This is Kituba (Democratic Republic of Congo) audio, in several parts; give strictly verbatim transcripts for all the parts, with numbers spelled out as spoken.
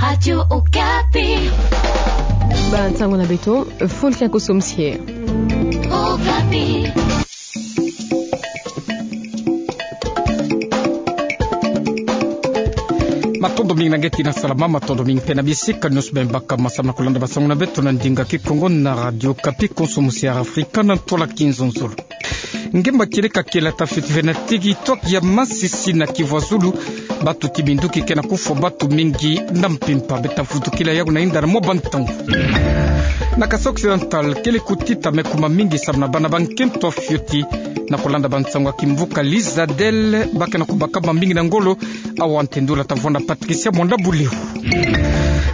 Radio Okapi. Bansango na beto, fulu kia kosomsie. Okapi. Matondo mingi na nge tina salama, matondo mingi mpe na bisika nyonso bima baka masamna kolanda bansango na beto na ndinga Kikongo na Radio Okapi, konso musi ya Afrika na ntola kinzonzolo. Nge mba kieleka kiela ta fioti ve na tigitoki ya Masisi na Kivu ya Zulu, batu ti minduki ke na kufwa batu mingi na mpimpa. Beta vutukila yau na inda na mwa bantangu. Na Kasaï Occidental, kele kutita mekuma mingi samu na bana ba nkento fioti, na kolanda bansango ya kimvuka Lizadel, ba ke na kubaka bambingi na ngolo, awa ntendula ta vwanda Patricia Mwanda Buliu.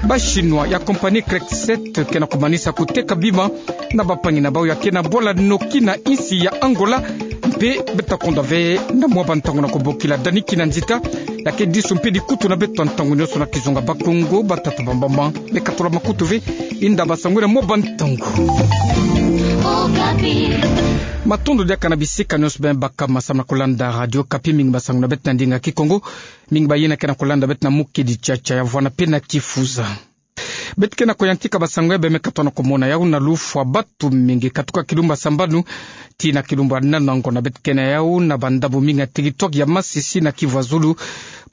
Ba Chinois ya compagnie Crexet ke na kumanisa kuteka bima na bampangi na bau ya ke na bwala Noki na insi ya Angola, mpe beta konda ve na mwa bantangu na kubokila Dani Kinanzita, ya ke disu mpe dikutu na beto ntangu nyonso na kizunga Bakongo, batata, bamama. Beka tula makutu ve, inda bansango na mwa bantangu. Matondo diaka na bisika nyonso bima baka masamna kolanda Radio Okapi, mingi bansango na beto na ndinga Kikongo, mingi bayina ke na kolanda beto na mukedi tiatia ya vwanda mpe na kifuza. Beto ke na kuyantika bansango ya bima meka tona kumona yau na lufwa batu mingi katuka kilumbu ya sambanu tii na kilumbu ya nana ngona. Beto ke na yau na bandambu mingi na tigitoki ya Masisi na Kivu ya Zulu.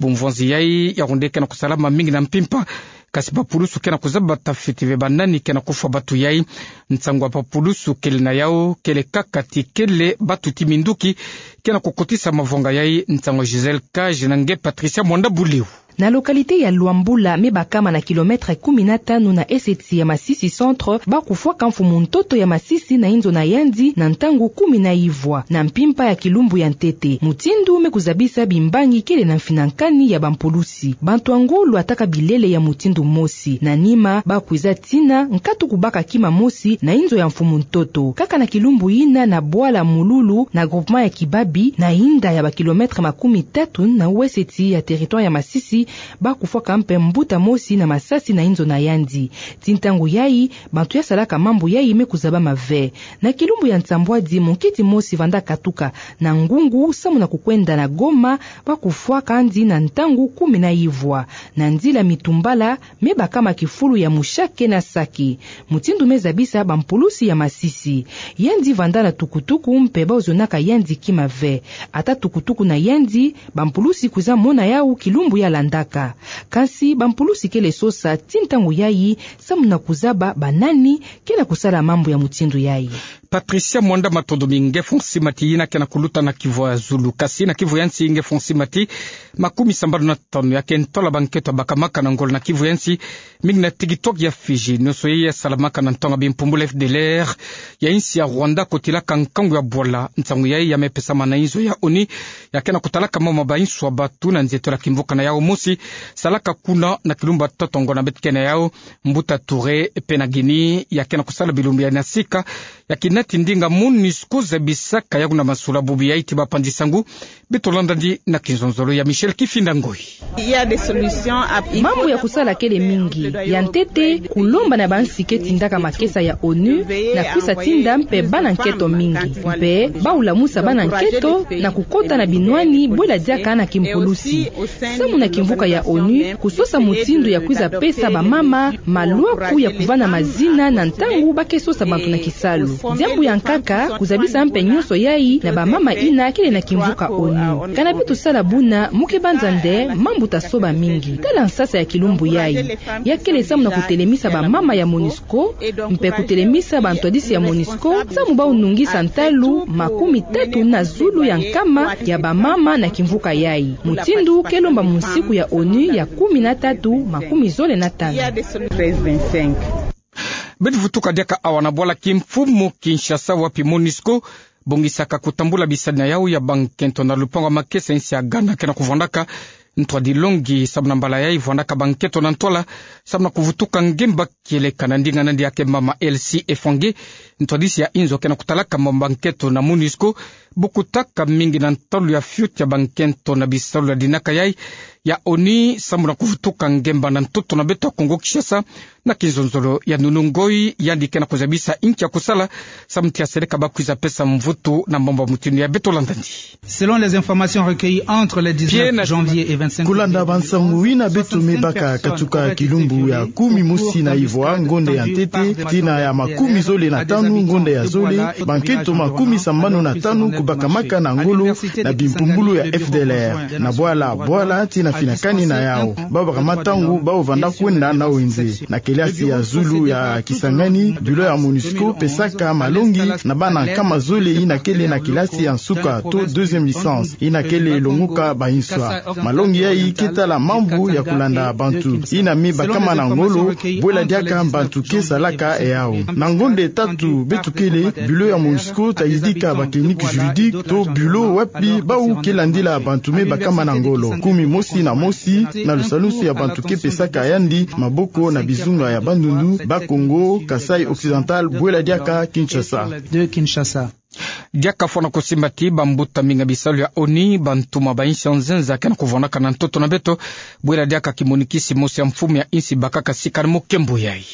Bumvonzi yai ya onde ke na kusalama mingi na mpimpa, kasi bapulusu ke na kuzaba ta fioti ve banani ke na kufwa batu yai. Nsangu ya bapulusu kele na yau kele kaka ti kele batu ti minduki ke na kukotisa mavonga yai. Nsangu ya Gisèle Cage na nge Patricia Mwanda Buliu. Na localité ya Luambula, me bakama na kilomètre kumi na tanu na eseti ya Masisi Centre, ba kufwaka mfumu ntoto ya Masisi na inzo na yandi na ntangu kumi na ivwa, na mpimpa ya kilumbu ya ntete. Mutindu me kuzabisa bimbangi kele na mfinankani ya bampulusi. Bantu ya ngolo lwataka bilele ya mutindu mosi. Na nima, ba kwiza tina nkatu kubaka kima mosi na inzo ya mfumu ntoto. Kaka na kilumbu yina na bwala Mululu, na groupement ya Kibabi, na inda ya bakilomètre makumi tatu na weseti ya territoire ya Masisi, ba kufwaka mpe mbuta mosi na masasi na inzo na yandi. Ti ntangu yai, bantu ya salaka mambu yai me kuzabama ve. Na kilumbu ya nsambwadi, munkiti mosi vanda katuka na ngungu samu na kukwenda na Goma, ba kufwaka yandi na ntangu kumi na ivwa. Na nzila Mitumbala, me bakama kifulu ya Mushake na Sake. Mutindu me zabisa bampulusi ya Masisi. Yandi vanda na tukutuku mpe ba ozonaka yandi kima ve. Ata tukutuku na yandi, bampulusi kwiza mona yau kilumbu ya landaka. Kasi bampulusi kele sosa ti ntangu yai samu na kuzaba banani ke na kusala mambu ya mutindu yai. Patricia Mwanda, matondo mingi. Nge Fonsi Mati, yina ke na kuluta na Kivu ya Zulu. Kasi na Kivu ya Nsi, nge Fonsi Mati, makumi sambanu na tanu ya ke ntola bankento bakamaka na ngolo na Kivu ya Nsi, mingi na tigitoki ya Fidji. Nyonso yai ya salamaka na ntonga bimpumbulu F D L R ya insi ya Rwanda kotilaka nkangu ya bwala. Nsangu yai ya me pesama na inzo ya ONU ya ke na kutalaka mama ba inswa batu na nzietolo ya kimvuka na yau mosi salaka kuna na kilumbu ya tata ngona. Beto ke na yau Mbuta Touré, pene Guinée, ya ke na kusala bilumbu ya na sika, ya kina ti ndinga MONUSCO zabisaka yau na masula. Bubu yai ti bapanzi nsangu, beto landa yandi na kinzonzolo ya Michel Kifinda Ngoi. Mambu ya kusala kele mingi. Ya ntete, kulomba na bansi ke tindaka makesa ya ONU na kwisa tinda mpe bana nketo mingi. Mpe ba ulamusa bana nketo na kukota na binwani bwela diaka na kimpulusi. Samu na kimvuka ya ONU kusosa mutindu ya kwiza pesa bamama malwaku ya kuvanda mazina na ntangu ba ke sosa bantu na kisalu. Diambu ya nkaka kuzabisa mpe nyonso yai na bamama yina kele na kimvuka ONU. Kana beto sala buna, mu ke banza nde mambu ta soba mingi. Tala nsasa ya kilumbu yai. Ya kele samu na kutelemisa bamama ya MONUSCO, mpe kutelemisa bantwadisi ya MONUSCO, samu ba unungisa ntalu makumi tatu na zulu ya nkama ya bamama na kimvuka yai. Mutindu ke lomba mu nsiku ya ONU ya kumi na tatu, makumi zole na tanu. Beto vutuka diaka awa na bwala kimfumu Kinshasa, wapi MONUSCO bongisaka kutambula bisadi na yau ya bankento na lupangu ya makesa insi ya Ghana ke na kuvwandaka. Ntwadi longi samu na mbala yai vwandaka bankento na ntwala samu na kuvutuka ngemba kieleka. Na ndinga nandi ya ke mama Elsie Efange, ntwadisi ya inzo ke na kutalaka mama bankento na MONUSCO, Bukutaka mingi na ntalu ya fioti ya bankento na bisalu ya dinaka yai ya ONU samu na kuvutuka ngemba na ntoto na beto ya Kongo Kinshasa, na kinzonzolo ya nunu ngoi yandi ke na kuzabisa inki ya kusala samu ti aseleka bakwiza pesa mvutu na mambu ya mutindu yai. Beto landa ndi. Selon les informations recueillies entre le dix-neuf janvier et vingt-cinq février. Kulanda bansangu yina beto me baka katuka kilumbu ya kumi mosi na ivwa ngonda ya ntete tii na ya makumi zole na tanu ngonda ya zole, bankento makumi sambanu na tanu kubakamaka na ngolo na bimpumbulu ya F D L R. Na bwala bwala tii na finakani na yau, bau bakama ntangu bau vanda kwenda na wenze. Na kelasi ya zulu ya Kisangani, bilo ya MONUSCO pesaka malongi na bana nkama zole yina kele na kelasi ya nsuka to deuxième licence, yina kele longoka bayinswa. Malongi yai ke tala mambu ya kulanda bantu yina me bakama na ngolo, bwela diaka bantu ke salaka yau. Na ngonda tatu beto kele, bilo ya MONUSCO ta yidika ba clinique juridique to bilo wapi bau ke landila bantu me bakama na ngolo. Kumi mosi na mosi na lusalusu ya bantu ke pesaka yandi maboko na bizunga ya Bandundu, Bas-Congo, Kasaï Occidental, bwela diaka Kinshasa. Diaka fwana kusimba ti bambuta mingi ya bisalu ya ONU, bantuma ba insi ya nzenza ke na kuvwanaka na ntoto na beto, bwela diaka kimonikisi mosi ya mfumu ya insi bakaka sika na mukembo yai.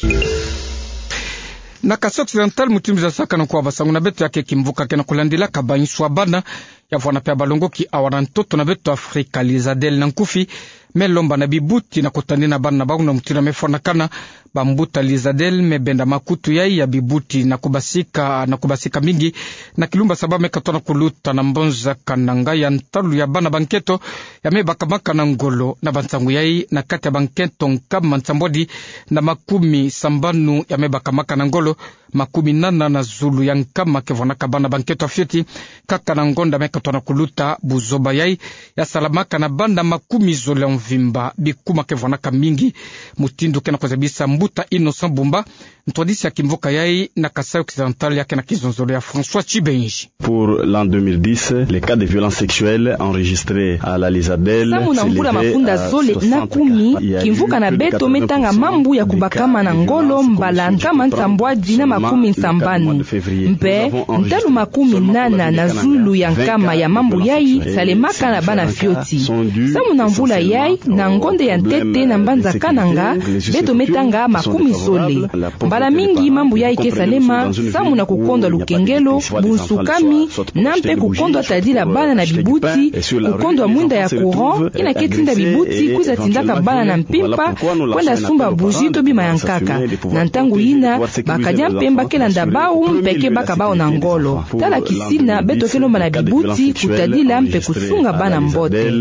Na Kasaï Occidental, mutindu tuzasakana kwa basangu na beto, ya ke kimvuka ke na kulandilaka bayinswa bana, ya vwana mpe ya balongoki awa na ntoto na beto Afrika, l'ISADEL na nkufi, me lomba na bibuti na kutadina bana na bau na mutindu ya me fwanakana. Bambuta l'ISADEL me benda makutu yai ya bibuti na kubasika, na kubasika mingi na kilumbu ya saba me katoto na kuluta na mbanza Kananga ya ntalu ya bana bankento ya me bakamaka na ngolo. Na bansangu yai, na kati ya bankento nkama nsambwadi na makumi sambanu ya me bakamaka na ngolo, makumi nana na zulu ya nkama ke vwanaka bana bankento ya fioti, kaka na ngonda me katoto na kuluta. Buzoba yai ya salamaka na bana makumi zole ya mvimba, bikuma ke vwanaka mingi. Mutindu ke na kuzabisa mbuta Innocent Bumba, ntwadisi ya kimvuka yai na Kasaï Occidental, ya ke na kinzonzolo ya François Tchibenji. Pour l'an deux mille dix, les cas de violence sexuelle enregistrés à la l'ISADEL s'élevaient à soixante-quatre. Samu na mvula mafunda zole na kumi, kimvuka na beto me tanga mambu ya kubakama na ngolo mbala nkama nsambwadi na makumi nsambanu. Mpe ntalu makumi nana na zulu ya nkama ya mambu yai salemaka na bana fioti. Samu na mvula yai, na ngonda ya ntete na mbanza Kananga, beto me tanga makumi zole. Mbala mingi mambu yai ke salema samu na kukondwa lukengelo, bunsukami, na mpe kukondwa tadila bana na bibuti, kukondwa mwinda ya courant yina ke tinda bibuti kwiza tindaka bana na mpimpa kwenda sumba bougie to bima ya nkaka. Na ntangu yina, bakadia mpemba ke landa bau mpe ke baka bau na ngolo. Tala kisina beto ke lomba na bibuti kutadila mpe kusunga bana mbote.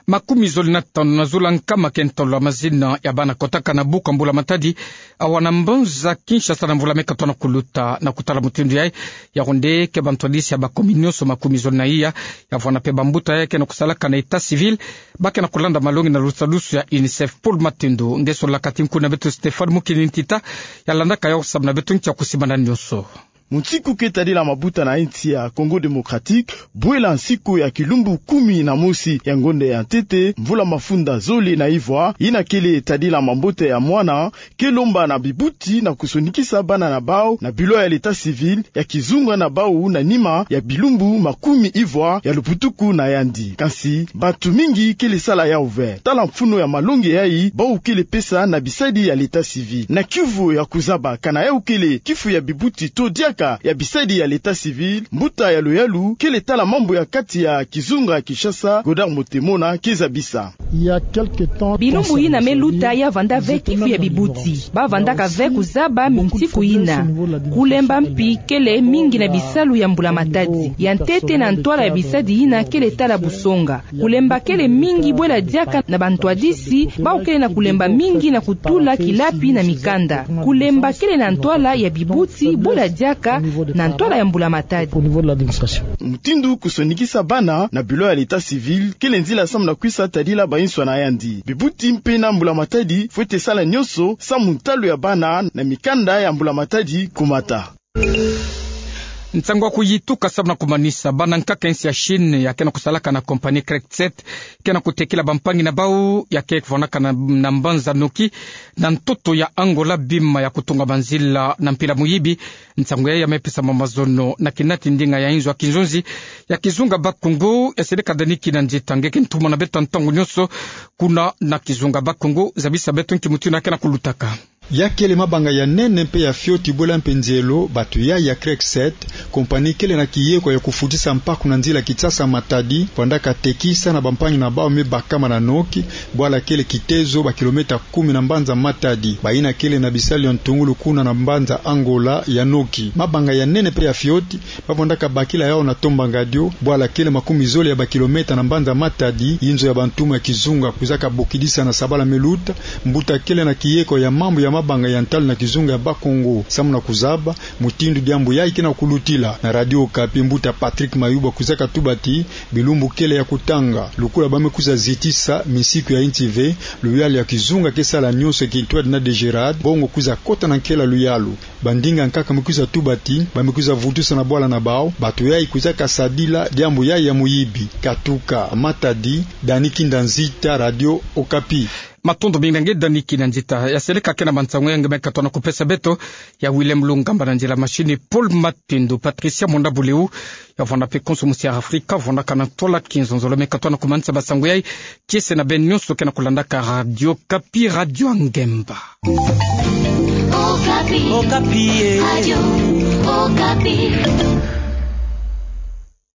Makumi zole na tanu na zulu ya nkama ke ntolo ya mazina ya bana kotaka na buku ya mbula-matadi awa na mbanza Kinshasa na mvula me katoto na kuluta. Na kutala mutindu yai, yau nde ke bantwadisi ya bakomi nyonso makumi zole na iya, ya vwana mpe bambuta yai ke na kusalaka na état civil, ba ke na kulanda malongi na lusalusu ya UNICEF. Paul Matendo nge sololaka ti nku na beto Stéphane Mukini Ntita, ya landaka yau samu na beto nki ya kusimbana nyonso. Munsiku ke tadila mabuta na insi ya Congo Démocratique, bwela nsiku ya kilumbu kumi na mosi ya ngonda ya ntete, mvula mafunda zole na ivwa, yina kele tadila mambote ya mwana, ke lomba na bibuti na kusonikisa bana na bau na bilo ya l'état civil ya kizunga na bau na nima ya bilumbu makumi ivwa ya luputuku na yandi. Kansi, bantu mingi kele sala yau ve. Tala mfunu ya malongi yai bau kele pesa na bisadi ya l'état civil. Na kiuvu ya kuzaba kana yau kele kifu ya bibuti to diaka ya bisadi ya l'état civil, mbuta ya luyalu kele tala mambu ya kati ya kizunga Kinshasa, Godard Motemona, ke zabisa. Bilumbu yina me luta ya vanda ve kifu ya bibuti. Ba vandaka ve kuzaba minsiku yina. Kulemba mpi kele mingi na bisalu ya mbula-matadi. Ya ntete na ntwala ya bisadi yina kele tala busonga. Kulemba kele mingi bwela diaka na bantwadisi, bau kele na kulemba mingi na kutula kilapi na mikanda. Kulemba kele na ntwala ya bibuti bwela diaka na ntwala ya mbula-matadi. Mutindu kusonikisa bana na bilo ya l'état civil kele nzila samu na kwisa tadila bayinswa na yandi. Bibuti mpe na mbula-matadi fwete sala nyonso samu ntalu ya bana na mikanda ya mbula-matadi kumata. Nsangu ya kuyituka samu na kumanisa bana nkaka ya nsi ya Chine ya ke na kusalaka na compagnie Craigset ke na kutekila bampangi na bau ya ke kuvwandaka na, na mbanza Noki na ntoto ya Angola bima ya kutunga banzila na mpila muyibi. Nsangu yayi ya me pesa mamazono na kinati ndinga ya inzo ya kinzonzi ya kizunga Bakongo ya seleka Dani Kina Nzita nge ke ntumwa na beto ntangu nyonso kuna na kizunga Bakongo. Zabisa beto nki mutindu ya ke na kulutaka. Ya kele mabanga ya nene mpe ya fioti bwela mpe nzelo, bato yayi ya Craigset, compagnie kele na kiyeko ya kufutisa mpaku na nzila Kinshasa-Matadi, vwandaka tekisa na bampangi na bau me bakama na Noki, bwala kele kitezo ba kilomètre kumi na mbanza Matadi. Bayina kele na bisalu ya ntungulu kuna na mbanza Angola ya Noki. Mabanga ya nene mpe ya fioti, ba vwandaka bakila yau na Tombangadio, bwala kele makumi zole ya ba kilomètre na mbanza Matadi, inzo ya bantuma ya kizunga kwizaka bokidisa na sabala me luta. Mbuta kele na kiyeko ya mambu ya mabanga ya ntalu na kizunga ya Bakongo samu na kuzaba mutindu diambu yayi ke na kulutila. Na Radio Okapi, mbuta Patrick Mayuba kwizaka tuba ti bilumbu kele ya kutanga, lukula ba me kwiza zitisa misiku ya inti ve, luyalu ya kizunga ke sala nyonso ya kintwadi na Degerad, bongo kwiza kota na nkela luyalu. Bandinga nkaka me kwiza tuba ti ba me kwiza vutusa na bwala na bau bato yayi kwizaka sadila diambu yayi ya muyibi. Katuka Matadi, Dani Kina Nzita, Radio Okapi. Matondo mingi na nge Dani Kina Nzita. Ya seleka ke na mansangu yayi nge me katuka na kupesa beto, ya Willem Lungamba, na nzila machine Paul Matendo, Patricia Monda Buleu, ya vwanda mpe konso musi ya Afrika, vwandaka na ntwala kinzonzolo, me katuka na kumanisa bansangu yayi kiese na beno nyonso ke na kulandaka Radio Okapi, radio ya ngemba. Okapi. Okapi, eh. Radio Okapi.